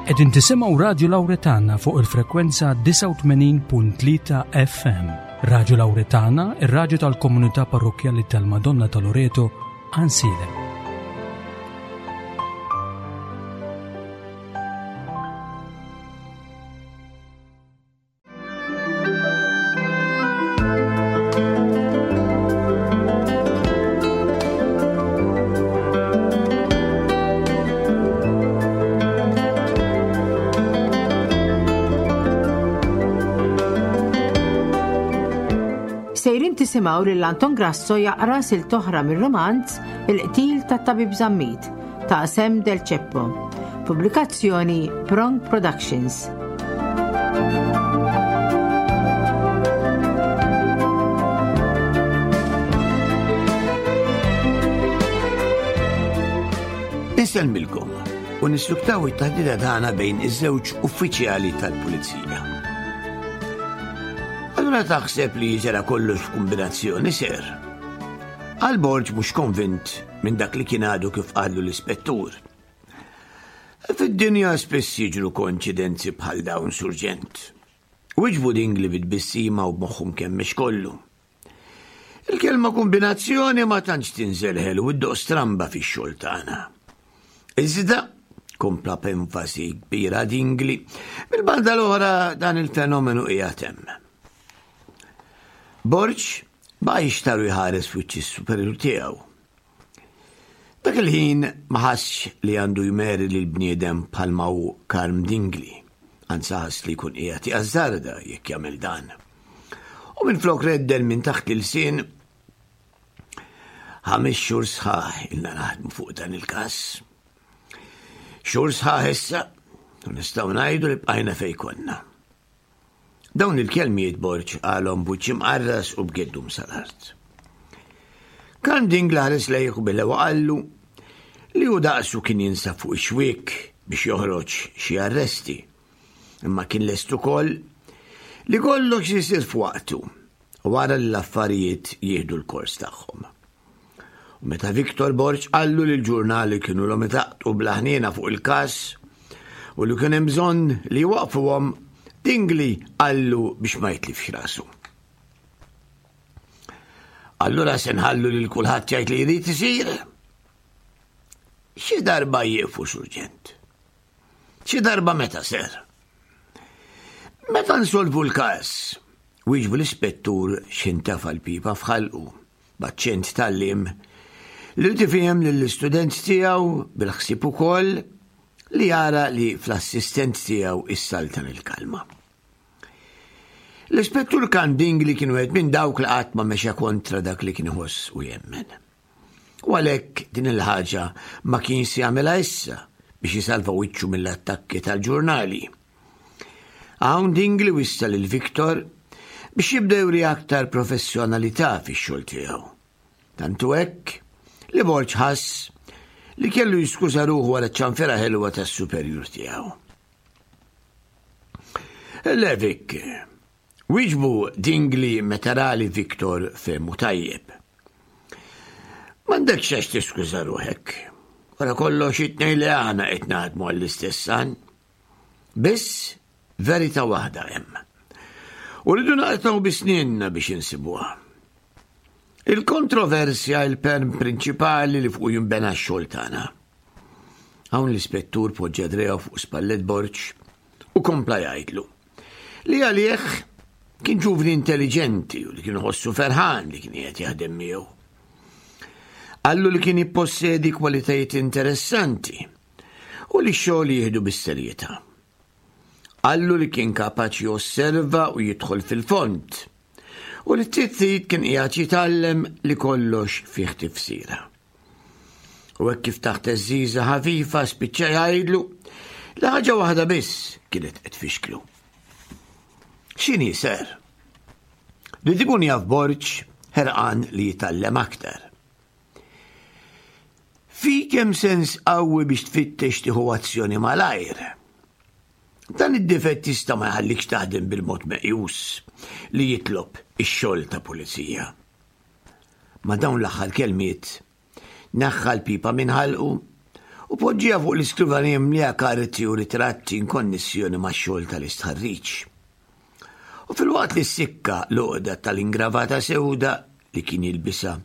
Qegħdin tisimgħu Radju Lawretana fuq il-frekwenza 89.3 FM. Radju Lawretana, ir-radju tal-komunità parrokkjali tal-Madonna ta' Loreto, Ansiedem. Sejrin tisimgħu lil Anton Grasso jaqra silt oħra mir-romanz Il-qtil tat-Tabib Zammit ta' Sam Del Ceppo. Pubblikazzjoni Prong Productions. Insellmilkom u nissuktaw it-taħdita tagħna bejn iż-żewġ uffiċjali tal-pulizija. Allura taħseb li ġara kollox f'kombinazzjoni ser. Għal Borġ mhux konvint minn dak li kien għadu kif qallu l-ispettur. Fid-dinja spiss jiġru koinċidenzi bħal dawn, Surġent. Wiġbu Dingli bi tbissima u b'moħħu mkemmex kollu. Il-kelma kombinazzjoni ma tantx tinżel ħelu u ddoq stramba fix-xogħol tagħna. Iżda, kompla b'enfasi kbira Dingli, mill-banda l-oħra dan il-fenomenu qiegħed hemm. Borġ baqa' jixtaru jħares f'wiċċ is-superjur tiegħu. Dak il-ħin ma ħassx li għandu jmeri lil bniedem bħalma hu Karm Dingli, anzi ħass li jkun qiegħed jażżarda jekk jagħmel dan. U minflok reddel minn taħt l-ilsien ħames xhur sħaħ ilna naħdmu fuq dan il-każ. Xhur sħaħ issa, u nistgħu ngħidu li bqajna fejn konna. Dawn il-kelmiet Borg qalhom b'wiċċ imqarras u b'geddum sal-art. Karl Dingli ħares lejh u belew qallu li hu daqsu kien jinsab fuq ix-xwiek biex joħroġ xi arresti. Imma kien lest ukoll li kollox isir f'waqtu u wara li l-affarijiet jieħdu l-kors tagħhom. U meta Victor Borg qallu li l-ġurnali kienu l itaqtu bla ħniena fuq il-każ u li kien hemm bżonn li jwaqfuhom, Dingli qallu biex ma jitlifx rasu. Allura se nħallu lil kulħadd jgħid li jrid isir? Xi darba jieqfu surġent. Xi darba meta ser? Meta nsolvu l-każ, wieġbu l-ispettur x'intafa l-pipa f'ħalqu. B'aċċent tgħalliem li rid ifiehem lill-istudent tiegħu bil-ħsieb ukoll li jara li fl-assistent tiegħu issaltan il-kalma. L-Ispettur Kanding li kien wieħed minn dawk li qatt ma mexa kontra dak li kien iħoss u jemmen. U għalhekk din il-ħaġa ma kienx se jagħmilha issa biex isalva wiċċu mill-attakki tal-ġurnali. Hawn Dingli wissa lil Victor biex jibda juri aktar professjonalità fix-xogħol tiegħu. Tant hu hekk li Borg ħass li kellu jiskuża ruħu wara ċ-ċanfira ħelwa tas-superjur tiegħu. Le Vic, wieġbu Dingli meta ra li Victor fehmu tajjeb. M'għandekx għax tiskuża ruħek. Wara kollox it-tnejn li aħna qed naħdmu għall-istess għan. Biss verità waħda hemm. U rridu naqtgħu bi snienna biex insibuha. Il-kontroversja il-perm prinċipali li fuq jinbena x-xogħol tagħna. Hawn l-ispettur poġġa dreja fuq spallet Borġ u kompla jgħidlu li għalih kien ġuvni intelligenti u li kien ħossu ferħan li kien qiegħed jaħdem miegħu. Qallu li kien jippossedi kwalitajiet interessanti u li x-xogħol jieħdu bis-serjetà. Qallu li kien kapaċi josserva u jidħol fil-fond u li t-tittit kien qiegħed jitgħallem li kollox fih tifsira. U hekk kif taħt eżiża ħafifa spiċċa jgħidlu li ħaġa waħda biss kienet qed tfixklu. X'inhi ser? Li ikun jaf Borġ ħerqan li jitgħallem aktar. Fik hemm sens qawwi biex tfittex tieħu azzjoni malajr. Dan id-difett jista' ma jħallikx taħdem bil-mod meqjus li jitlob ix-xogħol ta' pulizija. Ma' dawn l-aħħar kelmiet, neħħa l-pipa minn ħalqu u u poġġieha fuq l-iskrivanija mimlija karti u ritratti inkonnessjoni max-xogħol tal-istħarriġ. U filwaqt li ssikka l-għoqda tal-ingravata sewda li kien jilbisha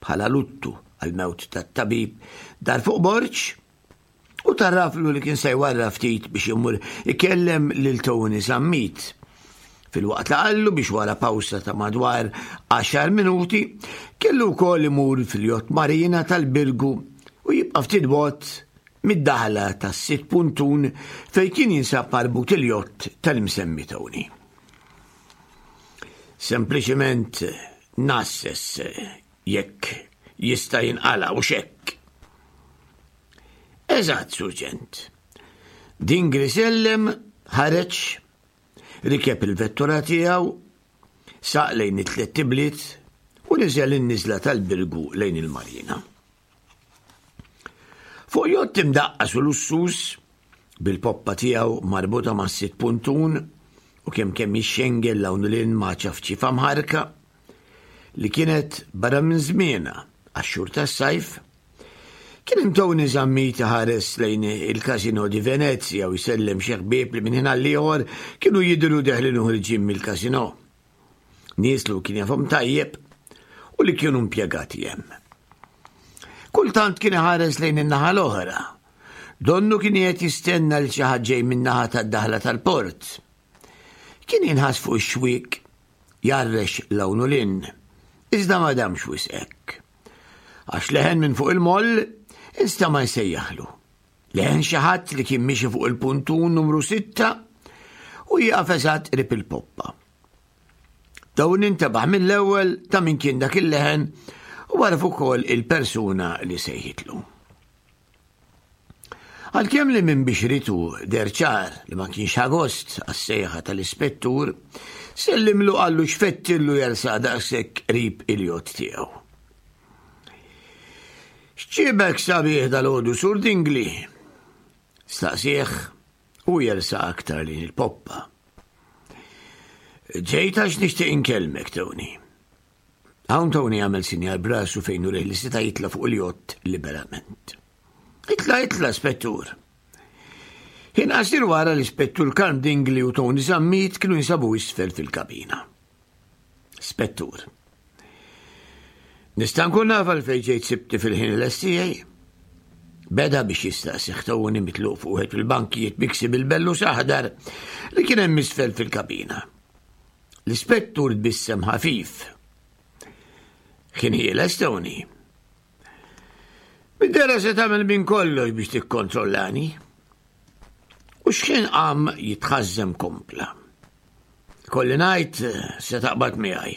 bħala luttu għall-mewt tat-tabib dar fuq Borg u tarraflu li kien se jwarra ftit biex imur ikellem lil Tony Zammit. Filwaqt li qallu biex wara pawsa ta' madwar għaxar minuti kellu wkoll imur fil-jott marina tal-Birgu u jibqa' ftit bogħod mid-daħla tas-sitt puntun fejn kien jinsab marbut il-jott tal-imsemmi Tony. Sempliċement nasses jekk jista' jinqala' u x'hekk. Eżatt, Surġent. Dingli sellem, ħareġ, rikeb il-vettura tiegħu, saq lejn it-tlett ibliet u niżel in-niżla tal-Birgu lejn il-Marina. Fuq jott imdaqqas u lussuż, bil-poppa tiegħu marbuta mas-sitt puntun u kemm kemm jixxengel 'l hawn u 'l hinn ma' ċafċifa mħarrka, li kienet barra minn żmienha għax-xhur tas-sajf, kien hemm Tony Zammit iħares lejn il-Casino di Venezia u jsellem xi ħbieb li minn ħin għall-ieħor kienu jidhru deħlin u ħirġin mill-casino. Nies li kien jafhom tajjeb u li kienu impjegati hemm. Kultant kien iħares lejn in-naħa l-oħra. Donnu kien qed jistenna li xi ħadd ġej min-naħa tad-daħla tal-port. Kien jinħass fuq ix-xwiek jgħarrex 'l hawn u 'l hinn, iżda ma damx wisq hekk. Għax leħen minn fuq il-moll instama' jsejjaħlu. Leħen xi ħadd li kien miexi fuq il-puntun numru sitta u jieqaf eżatt qrib il-poppa. Dawn intebaħ mill-ewwel ta' min kien dak il-leħen u għaraf ukoll il-persuna li sejħitlu. Għalkemm li minn bixritu deher ċar li ma kienx ħa gost għas-sejħa tal-ispettur, sellimlu qallu x'fettillu jersaq daqshekk qrib il-jott tiegħu. X'ġiebek sabiħ dalgħodu Sur Dingli? Staqsieh u jersaq aktar lejn il-poppa. Ġejt għax nixtieq inkellmek, Tony. Hawn Tony għamel sinjal b'rasu fejn urih li seta' jitla' fuq il-jott liberament. Itla', itla', Spettur. Ħin qasir wara l-Ispettur Karm Dingli u Tony Zammit kienu jinsabu isfel fil-kabina. Spettur. Nista' nkun naf għalfejn ġejt sibti fil-ħin l tiegħi? Beda biex jistaqsih Tony mitluq fuq wieħed fil-bankijiet miksi bil-bellus aħdar li kien hemm isfel fil-kabina. L-ispettur tbissem ħafif. Kien ħieles Tony. Bid-dera se tagħmel minn kollox biex tikkontrollani. U x'ħin qam jitħażżem kompla. Kolli ngħid se taqbad miegħi.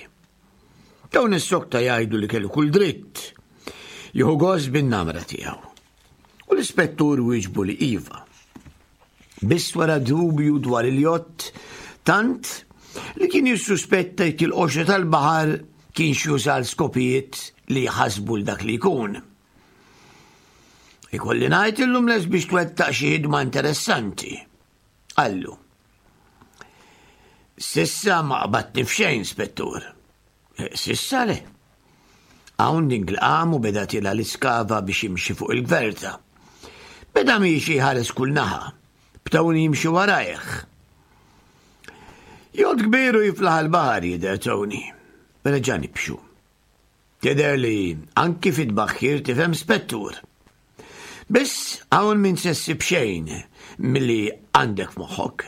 Dawn is-sokta jgħidu li kellu kull dritt jieħu gost bin-namra tiegħu. U l-ispettur wieġbu li iva. Biss wara dubju dwar il-jott, tant li kien jissuspetta jekk il-qoxra tal-baħar kienx juża għal skopijiet li jħassbu 'l dak li jkun. Ikolli ngħid illum lest biex twettaq xi ħidma interessanti, qallu. Sissa ma qbadtni f'xejn, Spettur. Eh, sissa le. Hawn Dingle qam u beda tila l-iskava biex jimxi fuq il-gverta. Beda miexi jħares kull naħa, b'Tony jimxi warajh. Jott kbir u jiflaħ il-baħar jidher Tony. Reġa' nibxu. Tidher li anki fit-tbaħħir tifhem spettur. Biss hawn min se ssib xejn milli għandek f'moħħok.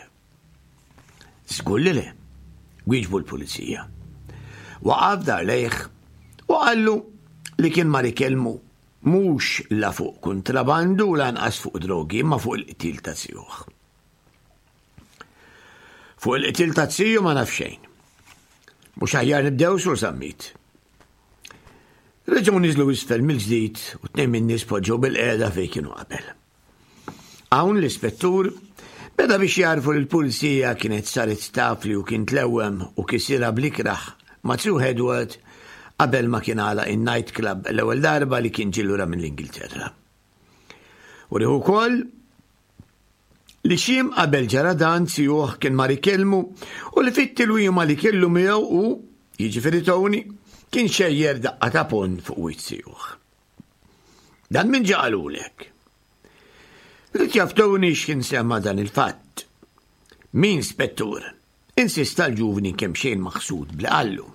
Żgur li le, wieġbu l-pulizija. Waqaf dar lejh u qallu li kien mar ikellmu mhux la fuq kuntrabandu u lanqas fuq drogi imma fuq il-qtil ta' zijuh. Fuq il-qtil ta' ziju ma naf xejn. Mhux aħjar nibdew sur Zammit. Reġgħu niżlu isfel mill-ġdid u tnejn min-nies poġġew bil-qiegħda fejn kienu qabel. Hawn l-ispettur beda biex jagħrfu li l-pulizija kienet saret taf li hu kien tlewwem u kisirha bl-ikrah ma' Sue Edward qabel ma kien għalaq in-night club l-ewwel darba li kien ġie lura mill-Ingilterra. U riħu wkoll li xiem qabel ġara dan zijuh kien mar ikellmu u li fit-tilwima li kellu miegħu hu, jiġifieri Tony, kien xejjer daqqa ta' ponn fuq wiċċ zijuh. Dan min ġa qalulek? Ried jaf Tony x'kien sema dan il-fatt. Min spettur? Insista l-ġuvni kemxejn maħsud bli qallu.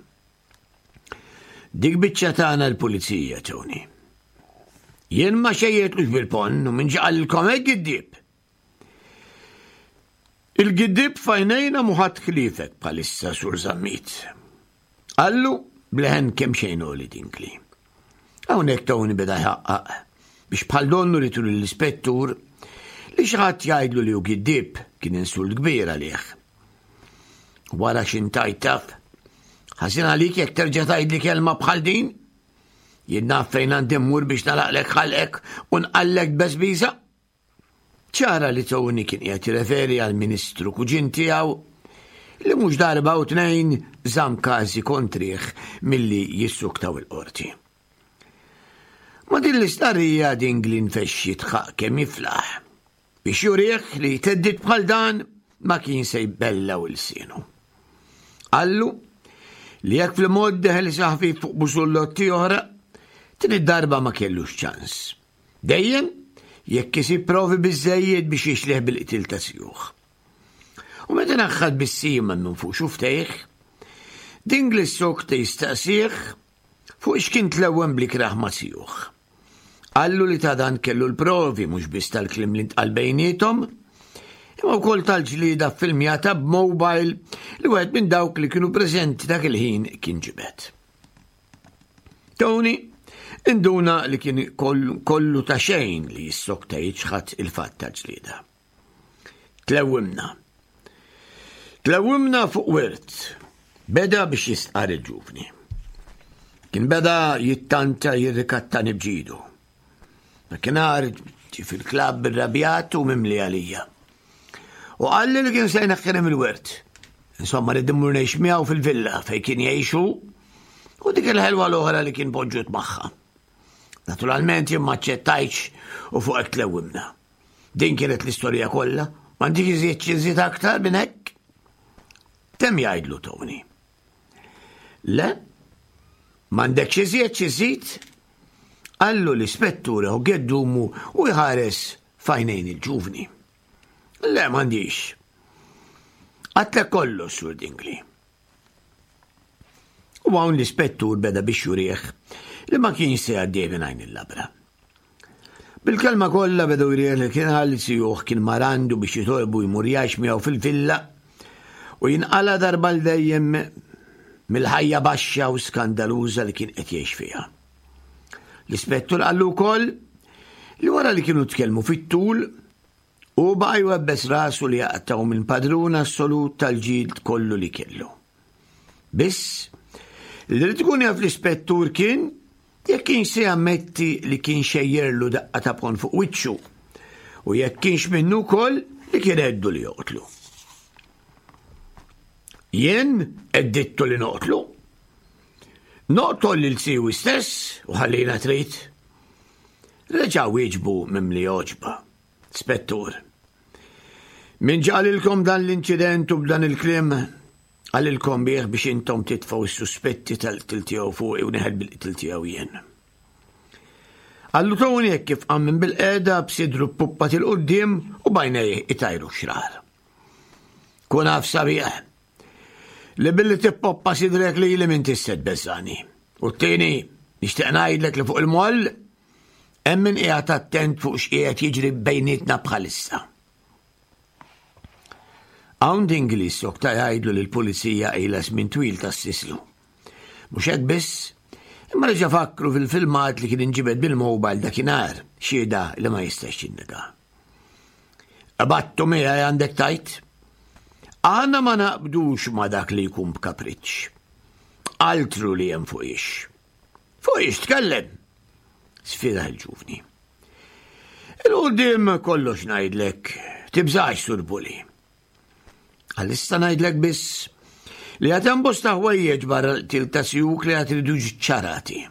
Dik biċċa tagħna l-pulizija, Tony. Jien ma xejjetlux bil-ponn u minn ġaqalilkom hekk giddieb. Il-giddieb f'għajnejna mhu ħadd ħliefek bħalissa, Sur Zammit. Qallu b'leħen kemxejn għoli Dingli. Hawnhekk Tony beda jħaqqaq biex bħal donnu li tul l-ispettur li xi ħadd jgħidlu li hu giddieb kien insult kbir għalih. Wara x'intajt taf, ħażin għalik jekk terġa' tgħidli kelma bħal din? Jien naf fejn għandi mmur biex nalaqlek ħalqek u nqallek beżbiża. Ċara li Tony kien qiegħed jirreferi għall-Ministru kuġin tiegħu li mhux darba u tnejn żamm każi kontrih milli jissuktaw il-qorti. Ma' din l-istqarrija Dingli nfexx jidħaq kemm jiflaħ biex jurih li theddid bħal dan ma kien se jbellaw ilsienu. Qallu li jekk fl-mod deħel saħfi fuq busullotti oħra, din id-darba ma kellux ċans. Dejjem jekk isib provi biżżejjed biex jixlih bil-qtil ta' sjuħ. U meta naħħad bis-sima minn fuq xuftejh, Dingli s-sokta jistaqsih fuq x'kien tlewwem bl-ikrah ma' sjuħ. Qallu li ta' dan kellu l-provi mhux biss tal-kliem li ntqal bejniethom, imma wkoll tal-ġlieda ffilmjata b'mobile li wieħed minn dawk li kienu preżenti dak il-ħin kien ġibed. Tony induna li kien kollu ta' xejn li jissokta jiċħad il-fatt tal-ġlieda. Tlewwimna. Tlewwimna fuq wirt. Beda biex jistqar il-ġuvni. Kien beda jittanta jirrikattani bġidu. Dakinhar ġie fil-klabb irrabjat u mimli għalija. U qalli li kien se jneħħini mill-wirt. Insomma, rrid immur ngħix miegħu fil-villa fejn kien jgħixu u dik il-ħelwa l-oħra li kien poġġut magħha. Naturalment jien ma aċċettajtx u fuq hekk tlewwimna. Din kienet l-istorja kollha, m'għandix iżjed xi nżid aktar minn hekk. Temm jgħidlu Tony. Le, m'għandekx iżjed xi żid? Qallu l-ispettur u geddumu u jħares f'għajnejn il-ġuvni. Le, m'għandix. Għatlek kollox, Sur Dingli. U hawn l-ispettur beda biex jurih li ma kienx se jgħaddih minn għajn il-labra. Bil-kelma kollha bedu jrih li kien għal sijuh kien marandu biex jitolbu jmur jgħix miegħu fil-villa u jinqala darba l dejjem mill-ħajja baxxa u skandaluża li kien qed jgħix fiha. L-ispettur qallu wkoll li wara li kienu tkellmu fit-tul u baqa' jwebbes rasu li jaqtgħu minn padrun assolut tal-ġid kollu li kellu. Biss, li rid ikun jaf l-ispettur kien jekk kienx se jammetti li kien xejjerlu daqqa ta' pon fuq wiċċu u jekk kienx minnu wkoll li kien għeddu li joqtlu. Jien għeddittu li noqtlu. Noqtol lil siwi stess u ħallina trid. Reġa' wieġbu mimli għoġba. Spettur. Min ġaqalilkom dan l-inċident u b'dan il-kliem qalilkom bih biex intom titfgħu s-suspetti tal-qtil tiegħu fuqi u neħel bil-qtil tiegħu jien. Qallu Tony hekk kif qam minn bil-qiegħda b'sidru ppuppat 'il quddiem u b'għajnejh itajru x-xrar. Kun af sabiħ li billi tippoppa sidrek lili m'intix se tbeżżagħni. U t-tieni, nixtieq ngħidlek li fuq il-moll hemm min qiegħed attent fuq x'qiegħed jiġri bejnietna bħalissa. Hawn Dingli sokta jgħidlu li l-pulizija ilha żmien twil tassislu. Mhux hekk biss, imma reġa' fakkru fil-filmat li kien inġibed bil-mobile dakinhar, xhieda li ma jistax jinnega. Qbadtu miegħi għandek tajt? Aħna ma naqbdux ma dak li jkun b'kapriċċ. Altru li hemm fuq ix. Fuq ix tkellem? Sfida l-ġuvni. Il-qudiem kollox ngħidlek, tibżax sur Puli. Għalissa ngħidlek biss li għad hemm bosta ħwejjeġ barra l-qtil ta' sjuk li għad iridu ċarati.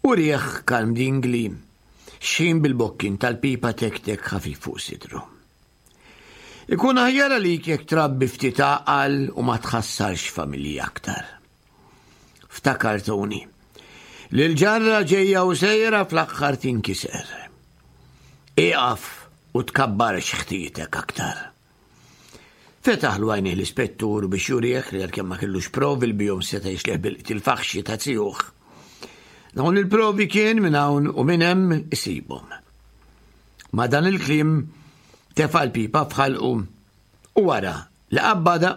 U rieħ kalm dingli xħin bil-bokkin tal-pipa tek-tek ħafif fuq sidru. Ikun aħjar għalik jekk trabbi ftit għaqal u ma tħassarx familji aktar. Ftakar Tony li l-ġarra ġejja u sejra fl-aħħar tinkiser. Ieqaf u tkabbarx ħtietek aktar. Fetaħlu għajnejh l-ispettur biex jurih li għalkemm ma kellux provi li bihom seta' jixlih bil-qtil faħxi ta' zijuh. Dawn il-provi kien minn hawn u minn hemm isibhom. Ma' dan il-kliem tefa' l-pipa f'ħalqu u wara li qabbadha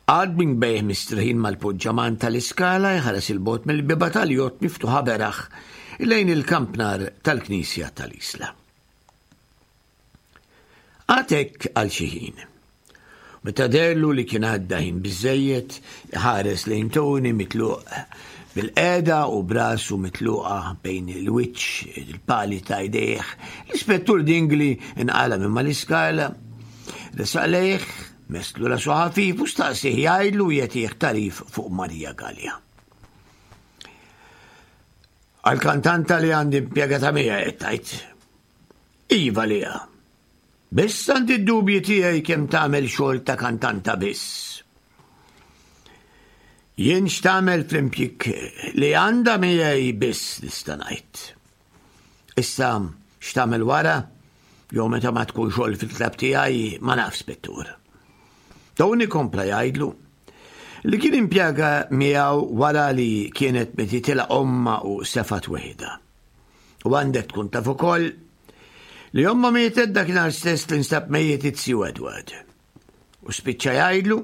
qagħad b'inbejh mistriħin mal-poġġaman tal-iskala jħares 'il bogħod mill-bieba tal-jott miftuħa beraħ lejn il-kampnar tal-knisja tal-Isla. Qagħad hekk għal xi ħin. Meta deherlu li kien għadda ħin biżżejjed, iħares lejn Tony mitluq bil-qiegħda u b'rasu mitluqa bejn il-wiċċ il-pali ta' jdejh, l-Ispettur Dingli nqala' minn mal-iskala, resaq lejh, messlu rasu ħafif u staqsieh jgħidlu u jagħtih tagħrif fuq Maria Galea. Għall-kantanta li għandi impjegata miegħi qed tgħid. Iva Lea. Biss għandi d-dubji tiegħi kemm tagħmel xogħol ta' kantanta biss. Jien x'tagħmel fl-impjieg li għandha miegħi biss nista' ngħid. Issa x'tagħmel wara jew meta ma tkun xogħol fil-klabb tiegħi ma naf spettur. Tony kompla jgħidlu li kien impjega miegħu wara li kienet metitilha omma u sefat weħidha. U għandek tkun taf ukoll li omma mietet dakinhar stess li nstab mejjet it-Sju Edward. U spiċċa jgħidlu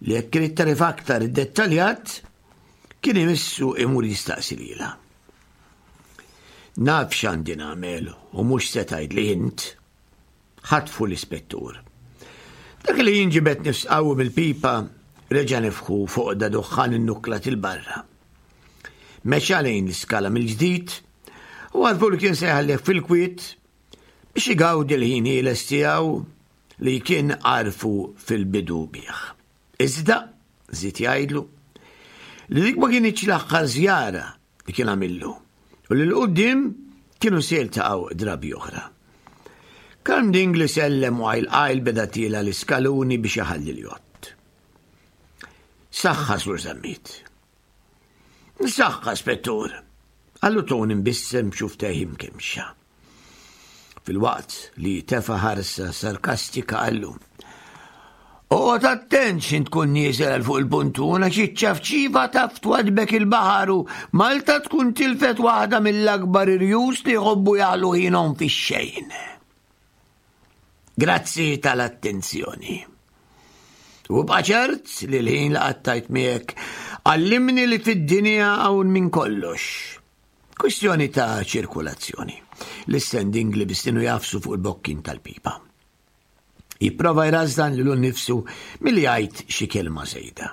li jekk irid tarif aktar iddettaljat kien imissu imur jistaqsi lilha. Naf x'għandi nagħmel u mhux se tgħidli int. Ħatfu l-ispettur. Dak li jinġibed nifs qawwi mill-pipa reġa' nefħu fuq da duħħan innukklat 'il barra. Mexa lejn l-iskala mill-ġdid u għarfu li kien se jħallih fil-kwiet biex igawdi l-ħin ħieles tiegħu li kien għarfu fil-bidu bih. Iżda, żied jgħidlu, li dik ma kinitx l-aħħar żjara li kien għamillu u li l-qudiem kienu se jiltaqgħu drabi oħra. Karm Dingli sellem u għajl għajl beda tiela l-iskaluni biex iħalli l-jott. Saħħa, Sur Zammit. Saħħa, Spettur. Għallu Tony mbissem b'xuftejh imkemmxa. Filwaqt li tefa' ħarsa sarkastika qallu. Oqgħod attent x'int tkun nieżel għal fuq il-puntun għax iċ-ċafċifa taf twadbek il-baħar u Malta tkun tilfet waħda mill-akbar irjus li jħobbu jaħlu ħinhom fix-xejn. Grazzi tal-attenzjoni. U bqa' ċert li l-ħin li qattajt miegħek għallimni li fid-dinja hawn minn kollox. Kwistjoni ta' ċirkulazzjoni. L-istending li bistinu jafsu fuq il-bokkin tal-pipa. Jipprova jrażżan lilu nnifsu milli jgħid xi kelma żejda.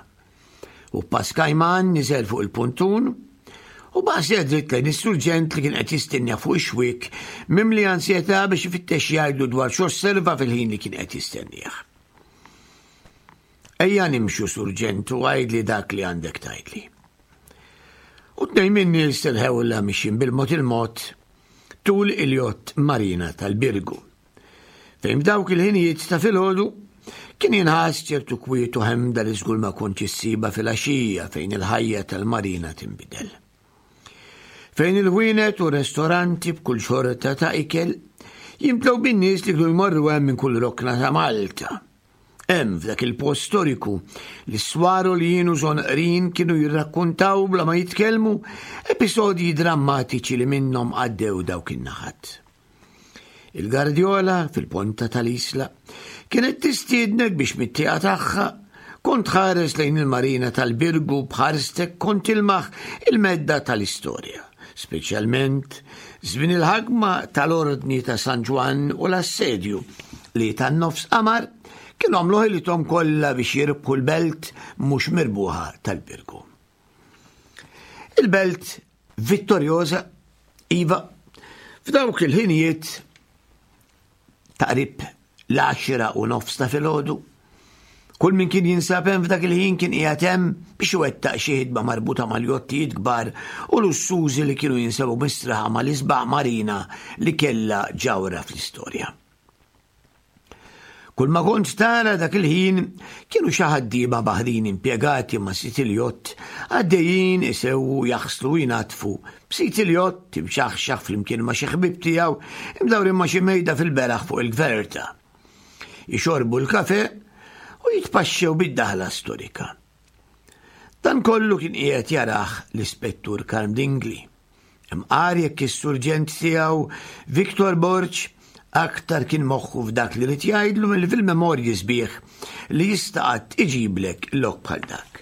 U Paskajman niżel fuq il-puntun u baqa' dritt lejn is-surġent li kien qed jistenna fuq ix-xwiek mimli ansjetà biex ifittex jgħidlu dwar x'osserva fil-ħin li kien qed jistennieh. Ejja nimxu surġent u għidli dak li għandek tgħidli. U tnejn min-nies irħewlha mixjin bil-mod il-mod tul il-jott Marina tal-Birgu. Fejn f'dawk il-ħinijiet ta' filgħodu kien jinħass ċertu kwiet u ħemda li żgur ma kontx issibha filgħaxija fejn il-ħajja tal-marina tinbidel. Fejn il-ħwienet u restoranti b'kull xorta ta' ikel jimtlew bin-nies li kienu jmorru hemm minn kull rokna ta' Malta. Hemm f'dak il-post storiku li s-swar u l-jien u żonqrin kienu jirrakkuntaw bla ma jitkellmu episodji drammatiċi li minnhom għaddew dawk in-naħat. Il-Gardjola fil-ponta tal-Isla kienet tistiednek biex mit-tieqa tagħha kont tħares lejn il-marina tal-Birgu b'ħarstek kont tilmaħ il-medda tal-istorja, speċjalment żmien il-ħakma tal-Ordni ta' San Ġwann u l-assedju li tan-nofs qamar kienu għamlu ħilithom kollha biex jirbħu l-belt mhux mirbuħa tal-Birgu. Il-belt vittorjoża, iva, f'dawk il-ħinijiet taqrib l-għaxra u nofs ta' filgħodu. Kull min kien jinsab hemm f'dak il-ħin kien qiegħed hemm biex iwettaq xi ħidma marbuta mal-jottijiet kbar u lussużi li kienu jinsabu mistraħa mal-isbaħ marina li kellha ġawhra fl-istorja. Kull ma kont tara dak il-ħin kienu xi ħaddiema baħrin impjegati ma' sid il-jott għaddejjin isewwu jaħslu u jnaddfu b'sid il-jott imxaħxaħ flimkien ma' xi ħbieb tiegħu imdawrin ma' xi mejda fil-beraħ fuq il-gverta. Ixorbu l-kafe u jitpaxxew bid-daħla storika. Dan kollu kien qiegħed jarah l-Ispettur Karm Dingli. Imqar jekk is-surġent tiegħu Victor Borg aktar kien moħħu f'dak li rid jgħidlu milli fil-memorji sbieħ li jista' qatt iġiblek lok bħal dak.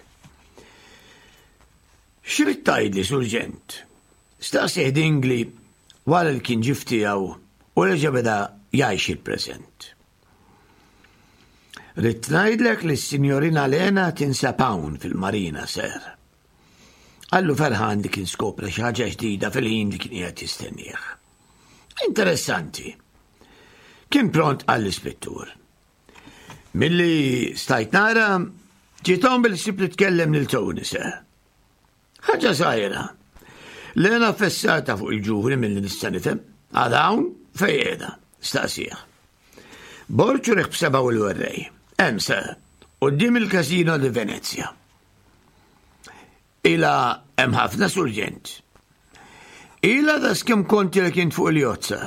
X'rid tgħidli, Surġent? Staqsieh Dingli wara li kien ġie f'tiegħu u reġa' beda jgħix il-preżent. Ridt ngħidlek li s-Sinjorina Lena tinsab hawn fil-marina, ser. Qallu ferħan li kien skopra xi ħaġa ġdida fil-ħin li kien qiegħed jistennieh. Interessanti. Kien pront qal l-ispettur. Milli stajt nara, ġiethom bil-ħsieb li tkellem lil Tony, sir. Ħaġa żgħira. Lena fessata fuq il-ġuvni milli nista' nifhem. Għadha hawn fejn qiegħda, staqsih. Borg urieh b'sebgħu l-werrej. Hemm sir, quddiem il-Casino di Venezia. Ila hemm ħafna surġent. Ila da skemm konti li kient fuq il-jozza.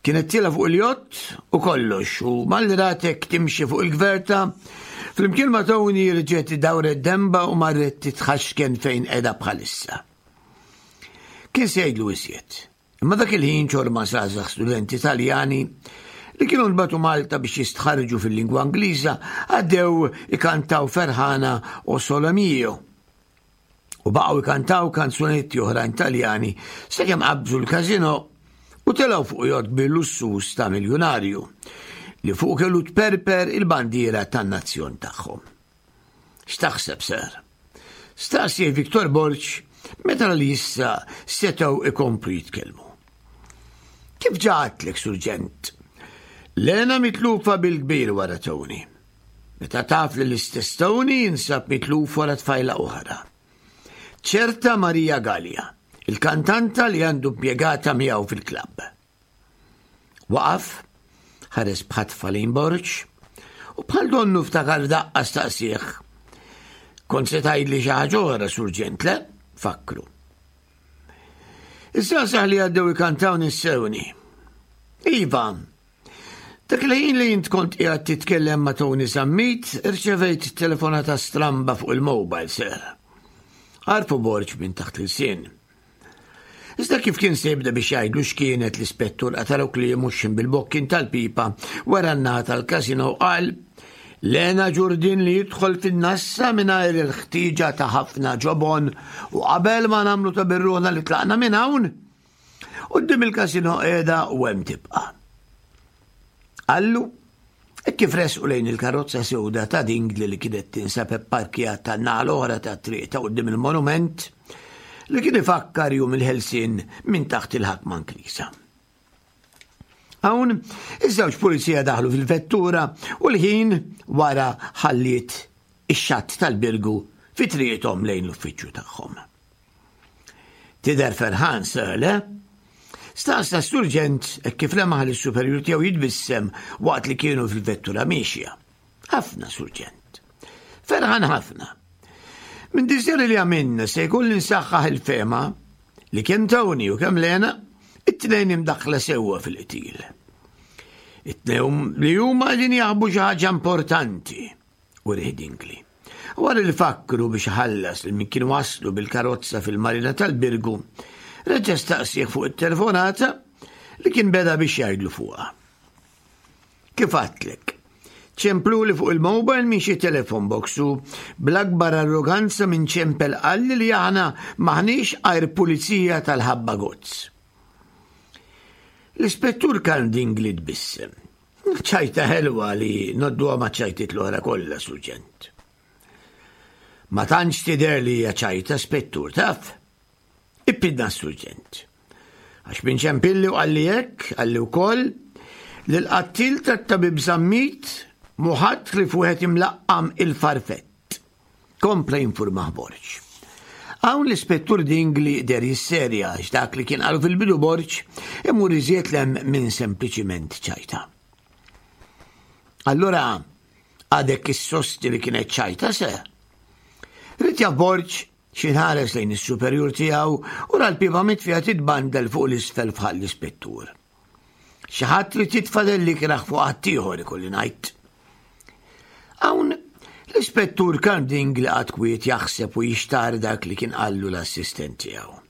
Kienet tiela fuq il-jott u kollox u malli ratek timxi fuq il-gverta, flimkien ma' Tony rġgħet dawret demba u marret titħaxken fejn qiegħda bħalissa. Kien se jgħidlu iżjed. Imma dak il-ħin ċorma żgħażagħ studenti Taljani li kienu nbatu Malta biex jistħarġu fil-lingwa Ingliża għaddew ikantaw ferħana o sole mio. U baqgħu jkantaw kanzunetti oħrajn Taljani sakemm qabżu l-każinò u telgħu fuq jott kbir lussuż ta' miljunarju li fuq kellu tperper il-bandiera tan-nazzjon tagħhom. X'taħseb, sir? Staqsi Victor Borg meta li issa setgħu ikomplu jitkellmu. Kif ġatlek, Surġent? Lena mitlufa bil-kbir wara Tony. Meta taf li l-istess Tony jinsab mitluf wara tfajla oħra. Ċerta Maria Gallia, il-kantanta li għandu impjegata miegħu fil-klabb. Waqaf, ħares b'ħatfa lejn Borg, u bħal donnu ftakar daqqa staqsih. Kont se tgħidli xi ħaġa oħra, Surġent, le? Fakru. Iż-żgħażagħ li għaddew ikantaw nissewni. Iva, Dak il-ħin li int kont qiegħed titkellem ma' Tony Zammit, irċevejt telefonata stramba fuq il-mobile, sir. Għarfu Borg minn taħt l-ilsien. Iżda kif kien se jibda biex jgħidlu x'kienet l-ispettur qatalu kliemu x'ħin bil-bokkin tal-pipa wara n-naħa tal-casino qal Lena ġurdin li jidħol fin-nassa mingħajr il-ħtieġa ta' ħafna ġobon u qabel ma nagħmlu ta' birruħna li tlaqna minn hawn, Quddiem il-kasino qiegħda u hemm tibqa'. Qallu, hekk kif resqu lejn il-karozza sewda ta' Dingli li kienet tinsab ipparkjata n-naħa l-oħra tat-triq ta' quddiem il-monument li kien ifakkar jum il-ħelsien minn taħt il-ħakma Ingliża. Hawn, iż-żewġ pulizija daħlu fil-vettura u l-ħin wara ħalliet ix-xatt tal-Birgu fi triqithom lejn l-uffiċċju tagħhom. Tidher ferħan, sir, le? Staqsa s-surġent hekk kif lemaħ lis-superjur tiegħu jitbissem waqt li kienu fil-vettura miexja. Ħafna, surġent. Ferħan ħafna. Minn diżjari li għamilna se jkolli nsaħħaħ il-fema li kemm Tony u kemm Lena it-tnejn imdaħħla sewwa fil-qtil. It-tnejn li huma qegħdin jaħbu xi ħaġa importanti u Dingli. Wara li fakkru biex iħallas lil min kien wasslu bil-karozza fil-marina tal-Birgu, reġa' staqsieh fuq it-telefonata li kien beda biex jgħidlu fuqha. Kif għadtlek, ċempluli fuq il-mobile minn xi telephone box u bl-akbar arroganza minn ċempel qalli li aħna m'aħniex għajr pulizija tal-ħabba gozz. L-Ispettur Karl Dingli tbissem. Ċajta ħelwa li nodduha maċ-ċajtiet l-oħra kollha, Surġent. Ma tantx tidher li hija ċajta, Spettur, taf? Ippidna s-Surġent. Għax minn ċempilli u qalli hekk, qalli wkoll li l-qattil tat-tabib Zammit mhu ħadd ħlief wieħed imlaqqam il-Farfett. Kompla jinfurmah Borg. Hawn l-Ispettur Dingli deher jisserja għax dak li kien qalu fil-bidu Borg imur iżjed 'l hemm minn sempliċiment ċajta. Allura għadek issostni li kienet ċajta se? Ried jaf Borg xi ħares lejn is-superjur tiegħu u ra l-pipa mitfija titbandel fuq l-isfel f'ħalq l-ispettur. Xi ħadd li titfa' delli ikrah fuq ħaddieħor ikolli ngħid. Hawn l-ispettur Karl Dingli qagħad kwiet jaħseb u jixtar dak li kien qallu l-assistent tiegħu.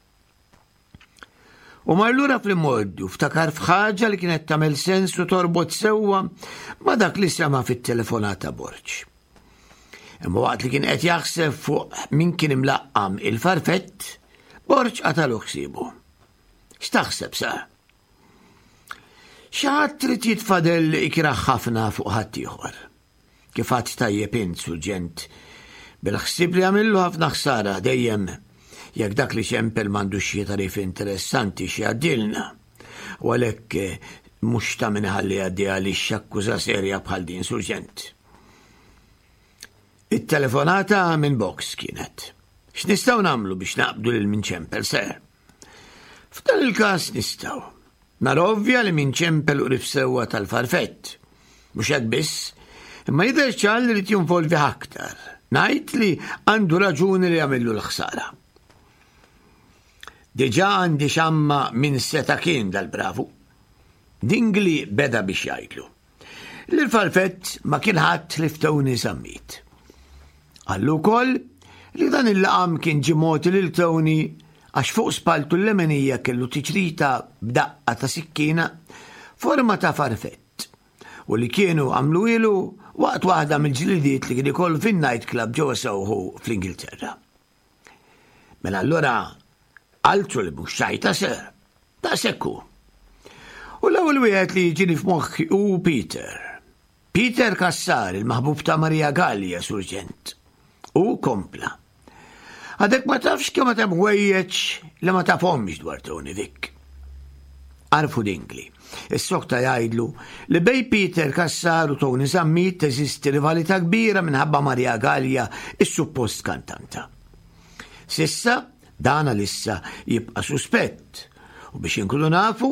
U mar lura fl-imgħoddi u ftakar f'ħaġa li kienet tagħmel sens u torbot sewwa ma' dak li sema' fit-telefonata Borg. Imma waqt li kien qed jaħseb fuq min kien imlaqqam il-farfett, Borg qatalu ħsiebu. X'taħseb sa? Xi ħadd trid jitfadel ikrah ħafna fuq ħaddieħor. Kif għadt tajjeb int, Surġent, bil-ħsieb li għamillu ħafna ħsara dejjem jekk dak li ċempel m'għandux xi tagħrif interessanti x'jgħaddilna. U għalhekk eh, mhux ta' min iħalli jgħaddi għaliex akkuża serja bħal din, Surġent. It-telefonata minn box kienet. X'nistgħu nagħmlu biex naqbdu lil min ċempel, ser? F'dan il-każ nistgħu. Nar ovvja li min ċempel u qrib sewwa tal-farfett. Mhux hekk biss, imma jidher ċar li rid jinvolvi aktar. Ngħid li għandu raġuni li jagħmillu l-ħsara. Diġà għandi xamma min seta' kien dal-bravu. Dingli beda biex jgħidlu. Li l-farfett ma kien ħadd li Tony Zammit. Qallu wkoll li dan il-laqam kien ġie mogħti lil Tony għax fuq spalltu l-lemenija kellu tiċrita b'daqqa ta' sikkina forma ta' farfett u li kienu għamluhielu waqt waħda mill-ġlidiet li kien ikollu fin-night club ġewwa Soho fl-Ingilterra. Mela allura altru li mhux ċajta sir. Daqshekk hu. U l-ewwel wieħed li jiġini f'moħħi hu Peter. Peter Cassar, il-maħbub ta' Maria Gallia, surġent. U kompla. Għadek ma tafx kemm hemm ħwejjeġ li ma tafhomx dwar Tony Vick. Għarfu Dingli. Is-sokta jgħidlu li bej Peter Cassar u Tony Zammit teżisti rivalità kbira minħabba Maria Gallia, is-suppost kantanta. Sissa, dan għalissa jibqa' suspett u biex inkunu nafu,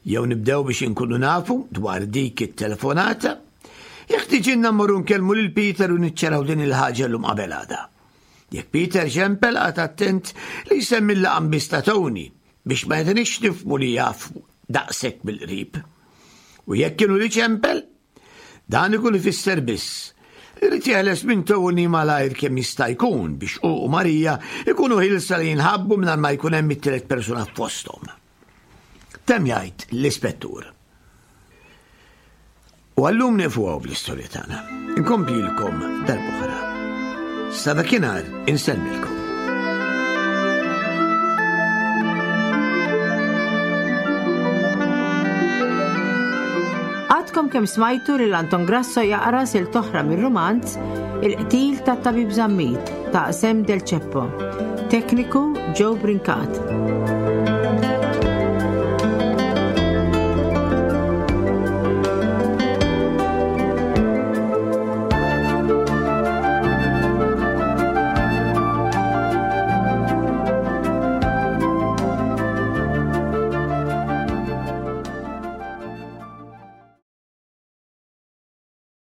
jew nibdew biex inkunu nafu dwar dik it-telefonata, jeħtiġilna mmorru nkellmu lil Peter u niċċaraw din il-ħaġa llum qabel għada. Jekk Peter ċempel qagħad attent li jsemmi l-laqam biss ta' Tony biex ma jagħtinix nifhmu li jaf daqshekk mill-qrib. U jekk kienu li ċempel, dan ikun ifisser biss li rid jeħles minn Tony malajr kemm jista' jkun biex hu u Marija ikunu ħilsa li jinħabbu mingħajr ma jkun hemm it-tielet persuna fosthom. Temm jgħid l-ispettur. U għallum nieqfu hawn bl-istorja tagħna. Inkomplilkom darb'oħra. Sa dakinhar insellmilkom. Għadkom kemm smajtu lil Anton Grasso jaqra silt oħra mir-rumanz Il-qtil tat-Tabib Zammit ta' Sem Del Ceppo. Tekniku Joe Brincat.